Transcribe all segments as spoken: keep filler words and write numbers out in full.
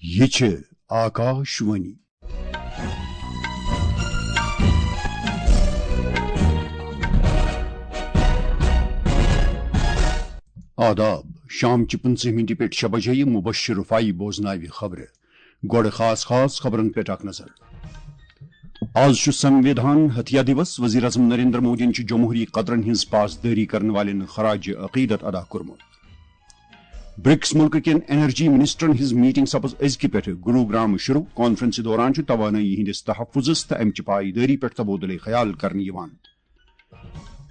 یہ چھِ آکاش وانی۔ آداب، شام چہِ پٕنٛژٕہ مِنٹہِ پٮ۪ٹھ شےٚ بجے یہِ مبشر رفاعی بوزناوِ خبرٕ۔ گۄڈٕ خاص خاص خبرن پٮ۪ٹھ اکھ نظر۔ آز چھُ سنوِدھان ہتیا دیوس، وزیر اعظم نریندر مودیَن چھُ جمہوری قدرن ہٕنٛز پاسدٲری کرن والٮ۪ن خراج عقیدت ادا کوٚرمُت۔ برکس ملکہٕ کٮ۪ن انرجی منسٹرن ہٕنٛز میٹنگ سپٕز أزکہِ پٮ۪ٹھٕ گروگرام شروع۔ کانفرنسہِ دوران چھُ توانٲیی ہٕنٛدِس تحفظس تہٕ امہِ چہِ پایدٲری پٮ۪ٹھ تبادلہٕ خیال کرنہٕ یِوان۔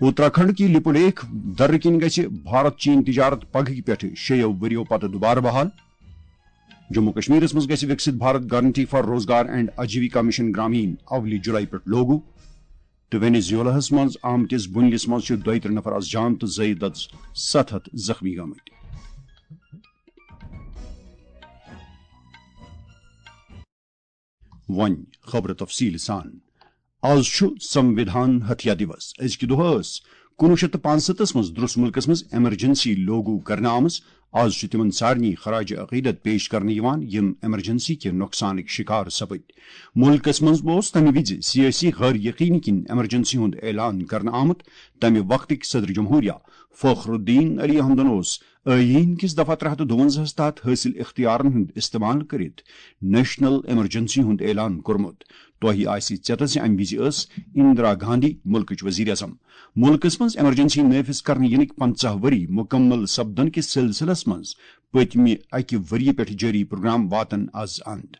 اتراکھنڈ کہِ لپولیخ درٕ کِنۍ گژھِ بھارت چین تجارت پگہٕکہِ پٮ۪ٹھٕ شیٚیو ؤرِیو پتہٕ دوبارٕ بحال۔ جموں کشمیرس منٛز گژھِ وکسِت بھارت گارنٹی فار روزگار اینڈ آجیویکا مشن گرامین اولہِ جولائی پٮ۪ٹھ لاگو۔ تہٕ وینیزویلاہس منٛز آمتِس بُنلِس منٛز چھِ دۄیہِ ترٕٛہ نفر از جان تہٕ زٲیِد از ستھ ہتھ زخمی گٔمٕتۍ۔ وۄنۍ خبرٕ تفصیٖل سان۔ آز چھُ سنوِدھان ہتھیا دیوس۔ أزکہِ دۄہ ٲس کُنوُہ شیٚتھ تہٕ پانٛژستتھس منٛز درٛس مُلکس منٛز ایمرجنسی لاگو کرنہٕ آمٕژ۔ آز چھُ تِمن سارنٕے خراج عقیدت پیش کرنہٕ یِوان، یِم ایمرجنسی کہِ نۄقصانٕکۍ شِکار سپٕدۍ۔ مُلکس منٛز اوس تَمہِ وِزِ سیٲسی غٲر یقینی کِنۍ ایمرجنسی ہُنٛد اعلان کرنہٕ آمُت۔ تَمہِ وقتٕکۍ صدر جمہوریہ فخر الدین علی احمدن اوس ٲییٖن کِس دفعہ ترٛےٚ ہتھ تہٕ دُوَنزاہس تحت حٲصِل اختیارن ہُنٛد استعمال کٔرِتھ نیشنل ایمرجنسی ہُنٛد اعلان کوٚرمُت۔ تۄہہِ آسہِ ژیتس زِ امہِ وِزِ ٲس اندرا گاندھی مُلکٕچ وزیر اعظم۔ مُلکس منٛز ایمرجنسی نافذ کرنہٕ یِنٕکۍ پنژاہ ؤری مُکمل سپدن کِس سلسلس منٛز پٔتمہِ اکہِ ؤریہِ پٮ۪ٹھ جٲری پروگرام واتن از اند۔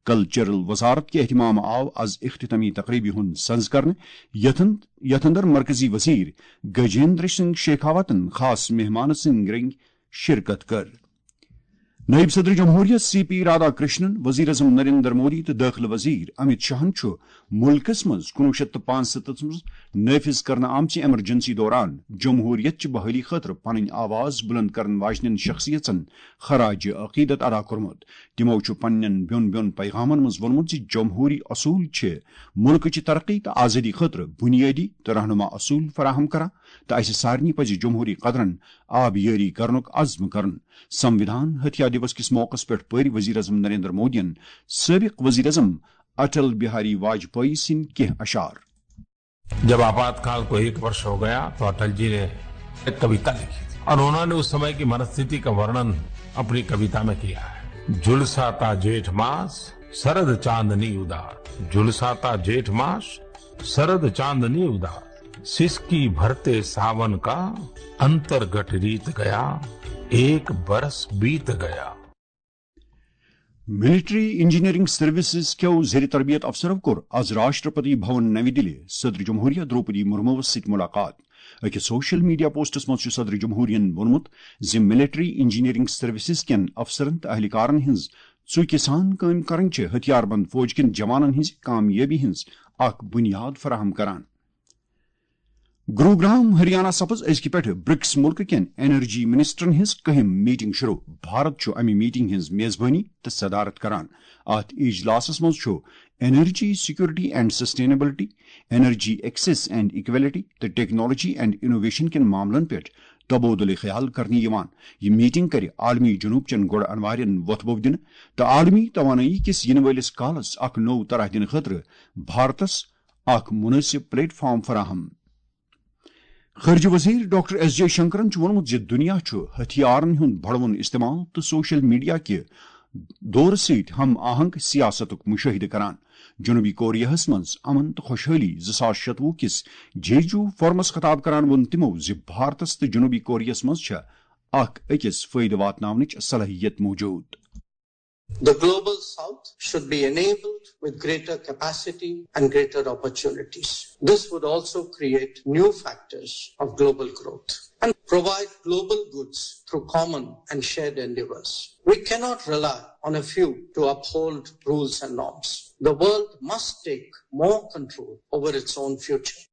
کلچرل وزارت کہِ اہتمام آو از اختتامی تقریبہِ ہُنٛد سنز کرنہٕ، یتھ اند-، یتھ اندر مرکزی وزیر گجیندر سنگھ شیخاوتن خاص مہمان سٕنٛدۍ رنگۍ شرکت کٔر۔ نائب صدر جمہوریہ سی پی رادھا کرشنن، وزیر اعظم نریندر مودی تہٕ دٲخلہٕ وزیر امت شاہن چھُ مُلکس منٛز کُنوُہ شیٚتھ تہٕ پانٛژستتھس منٛز نافذ کرنہٕ آمژِ ایمرجنسی دوران جمہوریت چہِ بحالی خٲطرٕ پنٕنۍ آواز بلند کرن واجنٮ۪ن شخصیژن خراج عقیدت ادا کوٚرمُت۔ تِمو چھُ پننٮ۪ن بیوٚن بیوٚن پیغامن منٛز ووٚنمُت زِ جمہوری اصوٗل چھِ مُلکٕچہِ ترقی تہٕ آزٲدی خٲطرٕ بُنیٲدی تہٕ رہنما اصوٗل فراہم کران، تہٕ اسہِ سارنٕے پزِ جمہوری قدرن آبیٲری کرنُک عزم کرُن۔ سنوِدھان ہتھیا دیوس کِس موقعس پٮ۪ٹھ پٔرۍ وزیر اعظم نریندر مودیَن سٲبق وزیر اعظم اٹل بہاری واجپئی سٕنٛدۍ کینٛہہ اشعار۔ जब आपातकाल को एक वर्ष हो गया तो अटल जी ने एक कविता लिखी थी और उन्होंने उस समय की मनस्थिति का वर्णन अपनी कविता में किया है। झुलसाता जेठ मास, शरद चांदनी उदास। झुलसाता जेठ मास, शरद चांदनी उदास। सिसकी भरते सावन का, अंतर्गट रीत गया। एक बरस बीत गया। ملٹری انجینئرنگ سروسز کیو زیر تربیت افسرو کوٚر از راشٹرپتی بھون نوی دِلہِ صدر جمہوریہ درٛوپدی مرموس سۭتۍ مُلاقات۔ أکِس سوشل میڈیا پوسٹس منٛز چھُ صدر جمہوریہن ووٚنمُت زِ ملٹری انجینئرنگ سروسز کٮ۪ن افسرن تہٕ اہلکارن ہٕنٛز ژُکہِ سان کٲم کرٕنۍ چھِ ہتھیار بند فوج کٮ۪ن جوانن ہٕنٛزِ کامیٲبی ہٕنٛز اکھ بُنیاد فراہم کران۔ گروگرام ہریانہ سپز أزکہِ پٮ۪ٹھٕ برکس مُلکہٕ کٮ۪ن انرجی منسٹرن ہٕنٛز کٔہِم میٹنگ شروع۔ بھارت چھُ امہِ میٹنگ ہٕنٛز میزبٲنی تہٕ صدارت کران۔ اتھ اجلاسس منٛز چھُ energy security and sustainability, energy access and equality تہٕ ٹیکنالوجی اینڈ انوویشن کٮ۪ن معاملن پٮ۪ٹھ تبادلہٕ خیال کرنہٕ یِوان۔ یہِ میٹنگ کرِ عالمی جنوب چٮ۪ن گۄڈٕ انوارٮ۪ن وۄتھٕ بوٚو دِنہٕ تہٕ عالمی توانٲیی کِس یِنہٕ وٲلِس کالس اکھ نوٚو طرح دِنہٕ خٲطرٕ بھارتس اکھ مناسب پلیٹ فارم فراہم۔ خارجہ وزیر ڈاکٹر ایس جے شنکرن چھُ ووٚنمُت زِ دُنیا چھُ ہتھیارن ہُنٛد بڑوُن استعمال تہٕ سوشل میڈیا کہِ دورٕ سۭتۍ ہم آہنگ سیاستُک مشاہدٕ کران۔ جنوبی کوریاہس منٛز امن تہٕ خۄشحٲلی زٕ ساس شتوُہ کِس جیجو فورمس خطاب کران ووٚن تِمو زِ بھارتس تہٕ جنوبی کوریاہس منٛز چھےٚ اکھ أکِس فٲیدٕ واتناونٕچ صلٲحیت موجود۔ The Global South should be enabled with greater capacity and greater opportunities. This would also create new factors of global growth and provide global goods through common and shared endeavors. We cannot rely on a few to uphold rules and norms. The world must take more control over its own future.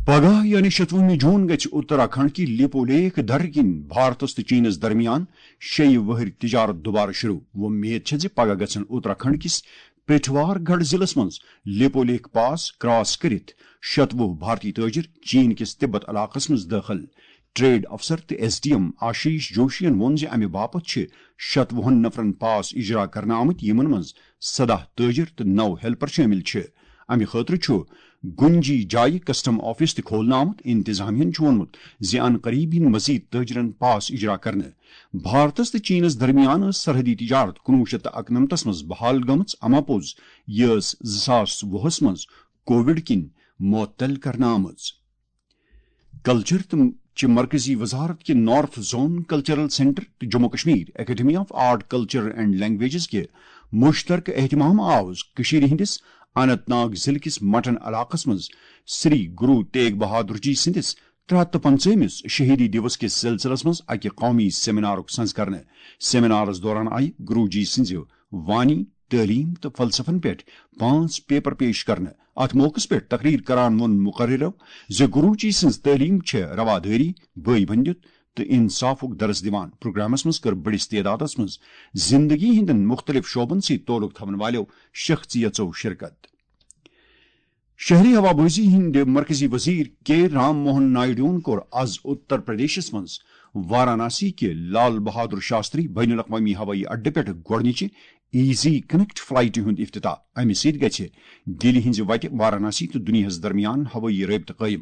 پگاہ یعنی شتوُہمہِ جون گژھِ اتراکھنڈ کہِ لیپو lake درٕ کِنۍ بھارتس تہٕ chances درمیان شیٚیہِ وہٕرۍ تجارت دوبارٕ شروع۔ وۄمید چھےٚ زِ پگاہ گژھن اتراکھنڈ کِس پٹھوار گڑھ ضلعس منٛز لیپو لیک پاس کراس کٔرِتھ شتوُہ بھارتی تاجر چین کِس تبت علاقس منٛز دٲخل۔ ٹریڈ افسر تہٕ ایس ڈی ایم آشیش جوشین ووٚن زِ امہِ باپتھ چھِ شتوُہن نفرن پاس اجرا کرنہٕ آمٕتۍ، یِمن منٛز سداہ تٲجر تہٕ نو ہیلپر شٲمِل چھِ۔ امہِ خٲطرٕ چھُ گُنجی جایہِ کسٹم آفس تہِ کھولنہٕ آمُت۔ انتظامیہ ہَن چھُ ووٚنمُت زِ ان قریب یِن مزید تٲجرن پاس اجرا کرنہٕ۔ بھارتس تہٕ چینس درمیان ٲس سرحدی تجارت کُنوُہ شیٚتھ تہٕ اَکنَمتس منٛز بحال گٔمٕژ، اما پوٚز یہِ ٲس زٕ ساس وُہس منٛز کووڈ کِنۍ معطل کرنہٕ آمٕژ۔ کلچر تہٕ چہِ مرکزی وزارت کہِ نارتھ زون کلچرل سینٹر تہٕ Jammu Kashmir academy of art, culture and languages کہِ مشترکہٕ اہتمام آو کٔشیٖرِ ہٕنٛدِس اننت ناگ ضلعہٕ کِس مٹن علاقس منٛز سری گرو تیگ بہادر جی سٕنٛدِس ترٛےٚ ہَتھ تہٕ پنٛژاہمِس شہیدی دیوس کِس سلسلس منٛز اکہِ قومی سیمینارُک سنز کرنہٕ۔ سیمینارس دوران آیہِ گرو جی سٕنٛزِ وانی، تعلیٖم تہٕ فلسفن پٮ۪ٹھ پانٛژھ پیپر پیش کرنہٕ۔ اتھ موقعس پٮ۪ٹھ تقریر کران ووٚن مقررو زِ گروجی سٕنٛز تعلیٖم چھےٚ روادٲری، بٲے بندیُت تہٕ انصافُک درس دِوان۔ پروگرامس منٛز کٔر بٔڑِس تعدادس منٛز زندگی ہٕنٛدٮ۪ن مُختٔلِف شعبن سۭتۍ تعلق تھاون والٮ۪و شخصیژو شرکت۔ شہری ہوابازی ہٕنٛدِ مرکزی وزیر کے رام موہن نائیڈوَن کوٚر از اتر پردیشس منٛز وارانسی کہِ لال بہادر شاستری بین الاقوامی ہوٲیی اڈٕ پٮ۪ٹھ گۄڈٕنِچہِ ایزی کنیکٹ فلائٹہِ ہُنٛد افتتاح۔ امہِ سۭتۍ گژھِ دِلہِ ہٕنٛزِ وتہِ وارانسی تہٕ دُنیاہس درمیان ہوٲیی رٲبطہٕ قٲیِم۔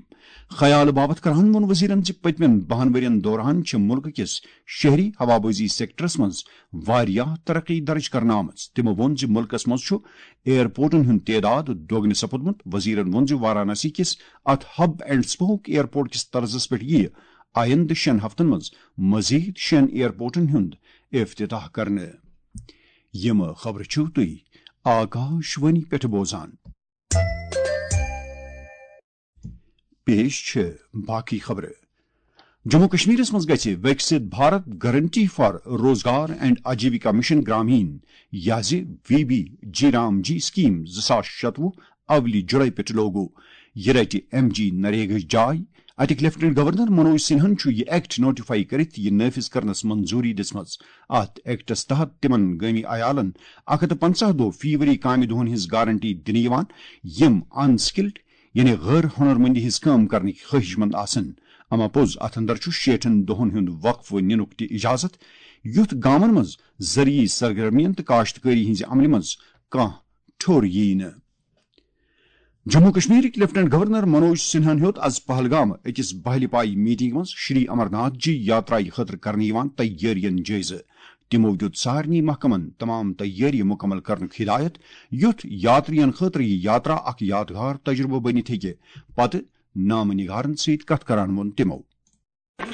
خیال باپتھ کران ووٚن وزیرن زِ پٔتمٮ۪ن بَہَن ؤرین دوران چھِ مُلکہٕ کِس شہری ہوابازی سیکٹرس منٛز واریاہ ترقی درج کرنہٕ آمٕژ۔ تِمو ووٚن زِ مُلکس منٛز چھُ ایئرپورٹن ہُنٛد تعداد دۄگنہٕ سپُدمُت۔ وزیرن ووٚن زِ وارانسی کِس اتھ ہب اینڈ اسپوک ایئرپورٹ کِس طرزس پٮ۪ٹھ یِیہِ آیندٕ شٮ۪ن ہفتن منٛز مزید شٮ۪ن ایئرپورٹن ہُنٛد افتتاح کرنہٕ۔ یِم خبرٕ چھِو تُہۍ آکاش وانی پٮ۪ٹھ بوزان۔ پیش چھِ باقی خبرٕ۔ جموں کشمیرس منٛز گژھِ وِکسِت بھارت گارنٹی فار روزگار اینڈ آجیوِکا مشن گرامین، یا زِ وی بی جی رام جی سکیم زٕ ساس شتوُہ اولی جولائی پٮ۪ٹھ لاگو۔ یہِ رٹہِ ایم جی نریگاہٕچ جاے۔ اتِکۍ لیفٹیننٹ گورنر منوج سنہاہن چھُ یہِ ایکٹ نوٹیفائی کٔرِتھ یہِ نافذ کرنس منظوری دِژمٕژ۔ اتھ ایکٹس تحت تِمن گٲمی عیالن اکھ ہتھ تہٕ پنٛژاہ دۄہ فی ؤری کامہِ دۄہن ہٕنٛز گارنٹی دِنہٕ یِوان، یِم ان سکلڈ یعنی غٲر ہنرمندی ہٕنٛز کٲم کرنٕکۍ خٲہِش مند آسن۔ اما پوٚز، اتھ اندر چھُ شیٹھن دۄہن ہُنٛد وقفہٕ نِنُک تہِ اجازت، یُتھ گامن منٛز زرعی سرگرمین تہٕ کاشتکٲری ہٕنٛزِ عملہِ منٛز کانٛہہ ٹھوٚر ییہِ نہٕ۔ جموں کشمیرٕکۍ لیفٹیننٹ گورنر منوج سنہاہن ہیوٚت از پہلگام أکِس بہلہِ پایہِ میٹنگ منٛز شری امرناتھ جی یاترایہِ خٲطرٕ کرنہٕ یِوان تیٲرین جٲیزٕ۔ تِمو دیُت سارنٕے محکمن تمام تیٲری مکمل کرنُک ہدایت، یُتھ یاترین خٲطرٕ یہِ یاترا اکھ یادگار تجربہٕ بٔنِتھ ہیٚکہِ۔ پتہٕ نامہ نگارن سۭتۍ کتھ کران ووٚن تِمو۔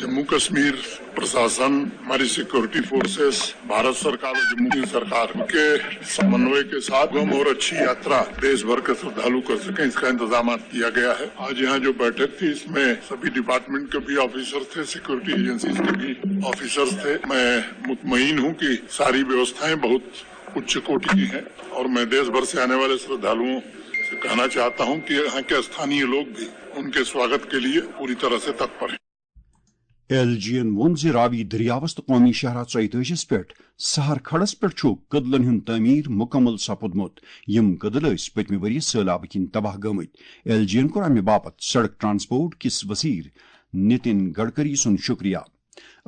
जम्मू कश्मीर प्रशासन, हमारी सिक्योरिटी फोर्सेस, भारत सरकार और जम्मू कश्मीर सरकार के समन्वय के साथ सुगम और अच्छी यात्रा देश भर के श्रद्धालु कर सकें, इसका इंतजाम किया गया है। आज यहाँ जो बैठक थी, इसमें सभी डिपार्टमेंट के भी ऑफिसर थे, सिक्योरिटी एजेंसीज के भी ऑफिसर्स थे। मैं मुतमईन हूँ कि सारी व्यवस्थाएं बहुत उच्च कोटि की हैं और मैं देश भर से आने वाले श्रद्धालुओं से कहना चाहता हूँ कि यहाँ के स्थानीय लोग भी उनके स्वागत के लिए पूरी तरह से तत्पर हैं। ایل جی ین ووٚن زِ راوی دٔریاوس تہٕ قومی شاہراہ ژۄیتٲجِس پٮ۪ٹھ سہر کھڑس پٮ۪ٹھ چھُ کٔدلن ہُنٛد تعمیٖر مُکمل سپُدمُت۔ یِم کٔدٕل ٲسۍ پٔتمہِ ؤرۍ یہِ سٔہلابہٕ کِنۍ تباہ گٔمٕتۍ۔ ایل جی ین کوٚر امہِ باپتھ سڑک ٹرانسپورٹ کِس وزیر نتن گڈکری سُنٛد شُکریہ۔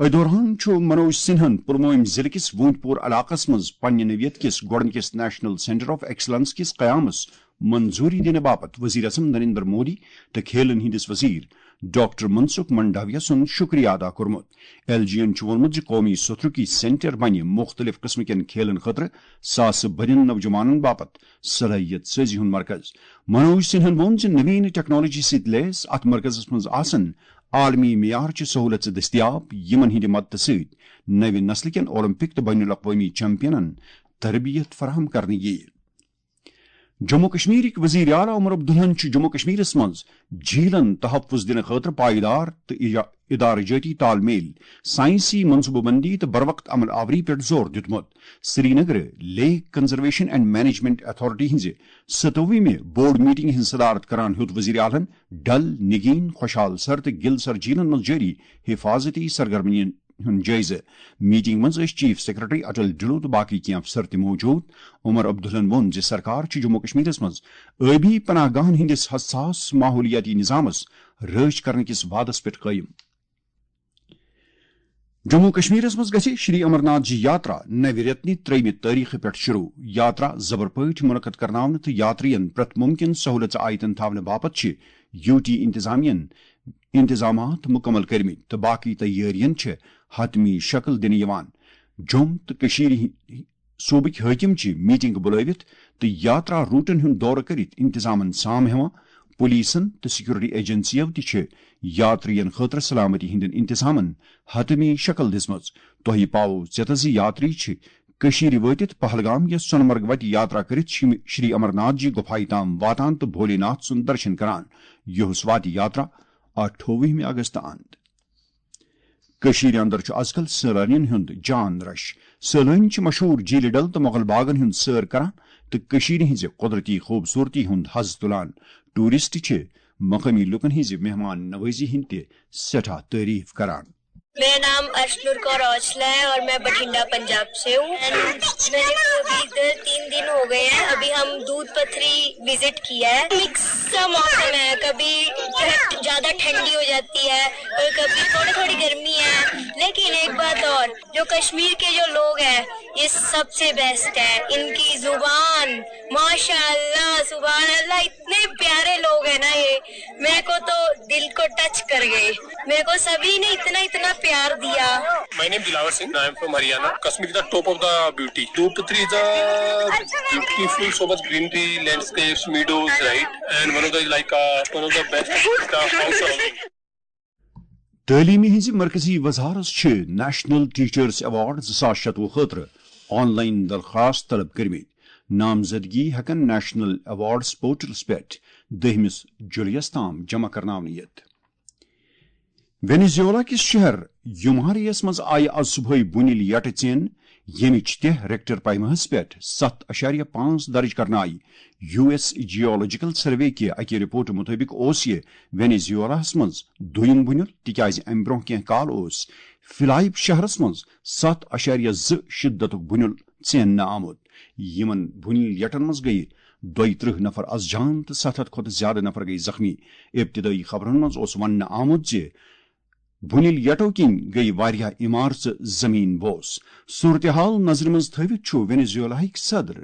أتھۍ دوران چھُ منوج سنہن پلوٲمۍ ضلعہٕ کِس وونت پور علاقس منٛز پننہِ نوعیت کِس گۄڈٕنِکِس نیشنل سینٹر آف ایکسلنس کِس قیامس منظوری دِنہٕ باپتھ وزیر اعظم نریندر مودی تہٕ کھیلن ہٕنٛدِس وزیر ڈاکٹر منسکھ منڈاویہ سُنٛد شُکریہ ادا کوٚرمُت۔ ایل جی ین چھُ ووٚنمُت زِ قومی ستھرُکی سینٹر بنہِ مُختٔلِف قٕسمہٕ کٮ۪ن کھیلن خٲطرٕ ساسہٕ بٔدٮ۪ن نوجوانن باپتھ صلٲحیت سٲزی ہُنٛد مرکز۔ منوج سنہن ووٚن زِ نوین ٹیکنالوجی سۭتۍ لیس اتھ مرکزس منٛز آسن عالمی معیار چہِ سہولژٕ دٔستیاب، یِمن ہٕنٛدِ مدتہٕ سۭتۍ نوِ نسلہٕ کٮ۪ن اولمپک تہٕ بین الاقوٲمی چیمپینن تربیت فراہم کرنہٕ یِیہِ۔ جموں کشمیرٕکۍ وزیر اعلیٰ عمر عبداللہن چھُ جموں کشمیرس منٛز جھیلن تحفظ دِنہٕ خٲطرٕ پائیدار تہٕ اجا-، ادارٕ جٲتی تال میل، سائنسی منصوبہٕ بندی تہٕ بروقت عمل آوری پٮ۪ٹھ زور دیُتمُت۔ Srinagar lake conservation and management authority ہٕنٛزِ ستووُہمہِ بورڈ میٹنگ ہٕنٛز صدارت کران ہیوٚت وزیر اعلیٰ ہن ڈل، نگین، خوشحال سر تہٕ گل سر جھیلن منٛز جٲری حفاظتی سرگرمین ہُنٛد جٲیزٕ۔ میٹنگ منٛز ٲسۍ چیف سیکرٹری اٹل ڈھلو تہٕ باقی کینٛہہ افسر تہِ موجود۔ عمر عبداللہن ووٚن زِ سرکار چھِ جموں کشمیرس منٛز ٲبی پناہ گاہن ہٕنٛدِس حساس ماحولیاتی نظامس رٲچھ کرنہٕ کِس وعدس پٮ۪ٹھ قٲیِم۔ جموں کشمیرس منٛز گژھِ شری امرناتھ جی یاترا نوِ رٮ۪تنہِ ترٛیٚیِمہِ تٲریخہٕ پٮ۪ٹھ شروع۔ یاترا زبر پٲٹھۍ منعقد کرناونہٕ تہٕ یاترین پرٛٮ۪تھ مُمکِن سہولژ آیتن تھاونہٕ باپتھ چھِ یوٗ ٹی انتظامیہن انتظامات مُکمل کٔرمٕتۍ تہٕ باقٕے تیٲرین چھِ حتمی شکل دِنہٕ یِوان۔ جوٚم تہٕ کٔشیٖرِ ہِ-، صوٗبٕکۍ حٲکِم چھِ میٹنگ بُلٲوِتھ تہٕ یاترا روٹن ہُنٛد دورٕ کٔرِتھ انتظامن سام ہٮ۪وان۔ پولیسن تہٕ سیکورٹی ایجنسیو تہِ چھِ یاترین خٲطرٕ سلامتی ہٕنٛدٮ۪ن انتظامن حتمی شکل دِژمٕژ۔ تۄہہِ پاوو ژیتس زِ یاتری چھِ کٔشیٖرِ وٲتِتھ پہلگام یا سۄنہٕ مرگ وتہِ یاترا کٔرِتھ شِم-، شری امرناتھ جی گُفایہِ تام واتان تہٕ بھولے ناتھ سُنٛد درشن کران، یُہُس واتہِ یاترا اَٹھووُہمہِ اگست اند۔ کٔشیٖرِ اندر چھُ ازکل سٲلٲنین ہُنٛد جان رش۔ سٲلٲنۍ چھِ مشہوٗر جھیٖلہِ ڈل تہٕ مغل باغن ہُنٛد سٲر کران تہٕ کٔشیٖرِ ہٕنٛزِ قۄدرتی خوٗبصوٗرتی ہُنٛد حظ تُلان۔ ٹوٗرسٹ چھِ مقٲمی لوٗکن ہٕنٛزِ مہمان نوٲزی ہٕنٛدۍ تہِ سٮ۪ٹھاہ تعریٖف کران۔ मेरा नाम अर्शनूर कौर औजला है और मैं बठिंडा, पंजाब से हूँ। मैंने तो अभी इधर तीन दिन हो गए हैं। अभी हम दूध पथरी विजिट किया है। मिक्स सा मौसम है, कभी ठंड, ज्यादा ठंडी हो जाती है और कभी थोड़ी थोड़ी गर्मी है। लेकिन एक बात और, जो कश्मीर के जो लोग हैं, ये सबसे बेस्ट है। इनकी जुबान, माशाअल्लाह, सुभान अल्लाह, इतने प्यारे लोग हैं ना ये। मेरे को तो दिल को टच कर गए। मेरे को सभी ने इतना इतना प्यार दिया। My name is Dilawar Singh. I am from Haryana. Kashmir is the top of the beauty. Dupatri is a beautiful, so much greenery, landscapes, meadows, right? And one of the, like, uh, one of the best is the house surrounding. تعلیمہِ ہٕنٛزِ مرکزی وزارت چھِ national teachers award زٕ ساس شتوُہ خٲطرٕ on line درخواست طلب کٔرمٕتۍ۔ نامزدگی ہٮ۪کن نیشنل ایوارڈز پورٹلس پٮ۪ٹھ دٔہمِس جُلایس تام جمع کرناونہٕ یِتھ۔ وینیزیولا کِس شہر یوماریس منٛز آیہِ از صبحٲے بُنیل یٹہٕ ژین، ییٚمِچ تہہ ریکٹر پیماہس پٮ۪ٹھ ستھ اَشاریہ پانٛژھ درج کرنہٕ آیہِ۔ یو ایس جیولوجیکل سروے کہِ اکہِ رپورٹہٕ مُطٲبِق اوس یہِ وینیزیولاہس منٛز دوٚیُم بُنیُل، تِکیازِ امہِ برٛونٛہہ کینٛہہ کال اوس فلائپ شہرس منٛز ستھ اَشاریہ زٕ شدتُک بُنیُل ژیننہٕ آمُت۔ یِمن بُنیل یٹن منٛز گٔیہِ دۄیہِ ترٕٛہ نفر از جان تہٕ ستھ ہتھ کھۄتہٕ زیادٕ نفر گٔیہِ زخمی۔ ابتدٲیی خبرن منٛز اوس وننہٕ آمُت زِ بُنیل یٹو کِنۍ گٔیہِ واریاہ عمارژٕ زمین بوس۔ صورتحال نظرِ منٛز تھٲوِتھ چھُ وینیزویلاہٕکۍ صدر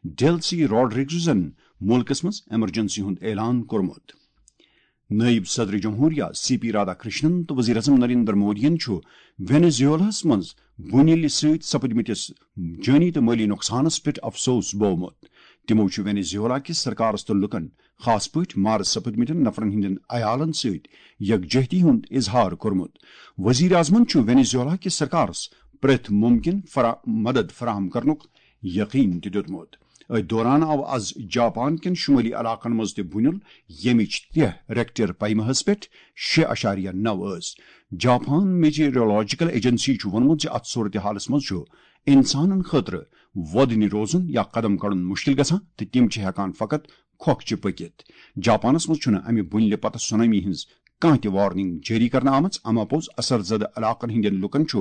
ڈیلسی راڈریگزن مُلکس منٛز ایمرجنسی ہُنٛد اعلان کوٚرمُت۔ نٲیِب صدر جمہوریہ سی پی رادھا کرشنن تہٕ وزیر اعظم نریندر مودیَن چھُ وینیزویلاہَس منٛز بُنیلہِ سۭتۍ سپدمٕتِس جٲنی تہٕ مٲلی نۄقصانَس پٮ۪ٹھ افسوس بوومُت۔ تِمَو چھُ وینیزویلا کِس سرکارَس تہٕ لُکَن، خاص پٲٹھۍ مارٕ سپدمٕتٮ۪ن نفرَن ہٕنٛدٮ۪ن عیالَن سۭتۍ یکجہتی ہُنٛد اظہار کوٚرمُت۔ وزیر اعظمَن چھُ وینیزویلا کِس سرکارَس پرٛٮ۪تھ مُمکِن فرا-، مدد فراہم کرنُک یقین تہِ دیُتمُت۔ أتھۍ دوران آو از جاپان کٮ۪ن شُمٲلی علاقن منٛز تہِ بُنیُل، ییٚمِچ تہہ ریکٹر پیماہس پٮ۪ٹھ شےٚ اَشاریہ نَو ٲس۔ جاپان میٹیورولوجیکل ایجنسی چھُ ووٚنمُت زِ اتھ صورتحالس منٛز چھُ انسانن خٲطرٕ وۄدنہِ روزُن یا قدم کڑُن مُشکل گژھان تہٕ تِم چھِ ہٮ۪کان فقط کھۄکھ چہِ پٔکِتھ۔ جاپانس منٛز چھُنہٕ امہِ بُنیلہِ پتہٕ سونامی ہٕنٛز کانٛہہ تہِ وارننگ جٲری کرنہٕ آمٕژ، اما پوٚز اثر زدٕ علاقن ہٕنٛدٮ۪ن لوٗکن چھُ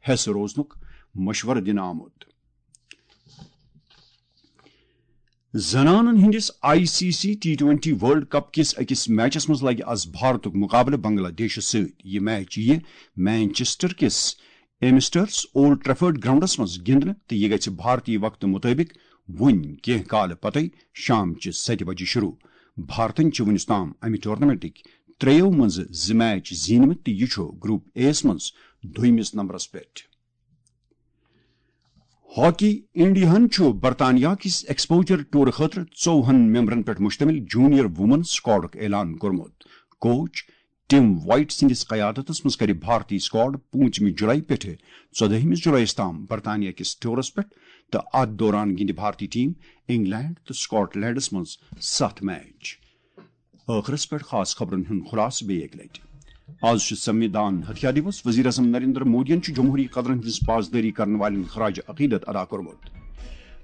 حیسہٕ روزنُک مشورٕ دِنہٕ آمُت۔ زنانن ہٕنٛدِس I C C T twenty world cup کِس أکِس میچس منٛز لگہِ از بھارتُک مقابلہٕ بنگلہ دیشس سۭتۍ۔ یہِ میچ یِیہِ مینچسٹر کِس ایمسٹرس اولڈ ٹریفورڈ گراؤنڈس منٛز گِنٛدنہٕ تہٕ یہِ گژھِ بھارتی وقتہٕ مُطٲبِق وُنۍ کینٛہہ کالہٕ پتَے شام چہِ ستہِ بجہِ شروع۔ بھارتن چھِ وُنیُس تام امہِ ٹورنامنٹٕکۍ ترٛیٚیو منٛزٕ زٕ میچ زیٖنمٕتۍ تہٕ یہِ چھُ گروپ اے یَس منٛز دوٚیمِس نمبرس پٮ۪ٹھ۔ ہاکی انڈیاہن چھُ برطانیہ کِس ایکسپوجر ٹور خٲطرٕ ژووُہن ممبرن پٮ۪ٹھ مشتمل جونیئر وومن سکواڈُک اعلان کوٚرمُت۔ کوچ ٹم وائٹ سٕنٛدِس قیادتس منٛز کرِ بھارتی سکواڈ پوٗنٛژمہِ جولائی پٮ۪ٹھٕ ژۄدٲہمِس جولائیس تام برطانیہ کِس ٹورس پٮ۪ٹھ، تہٕ اتھ دوران گِنٛدِ بھارتی ٹیم انگلینڈ تہٕ سکاٹ لینڈس منٛز ستھ میچ۔ ٲخرس پٮ۪ٹھ خاص خبرن ہُنٛد خلاصہٕ بیٚیہِ اکہِ لٹہِ۔ آز چھُ سنوِدھان ہتھیار دیوس۔ وزیر اعظم نریندر مودیَن چھُ جمہوری قدرن ہٕنٛز پاسدٲری کرن والٮ۪ن خراج عقیدت ادا کوٚرمُت۔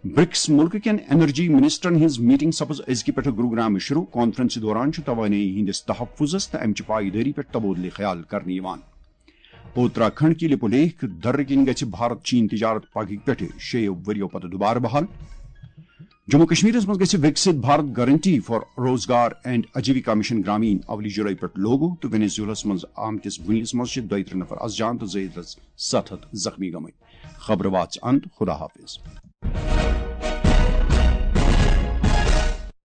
برکس مُلکہٕ کٮ۪ن انرجی منسٹرن ہٕنٛز میٹنگ سپٕز أزکہِ پٮ۪ٹھٕ گروگرامہِ شروع۔ کانفرنسہِ دوران چھُ توانٲیی ہٕنٛدِس تحفظس تہٕ امہِ چہِ پایدٲری پٮ۪ٹھ تبادلہٕ خیال کرنہٕ یِوان۔ اتراکھنڈ کہِ لپولیخ درٕ کِنۍ گژھِ بھارت چین تجارت پگہٕکۍ پٮ۪ٹھٕ شیٚیو ؤرۍیو پتہٕ دوبارٕ بحال۔ جموں کشمیرس منٛز گژھِ وکسِت بھارت گارنٹی فار روزگار اینڈ آجیوکا مشن گرامین اولی جولائی پٮ۪ٹھ لاگو تہٕ وینیزویلاہس منٛز آمتِس بُنیلس منٛز چھِ دۄیہِ ترٕٛہ نفر از جان تہٕ زٲیدس ستھ ہتھ زخمی گٔمٕتۍ۔ خبرٕ واتہِ اند، خدا حافظ۔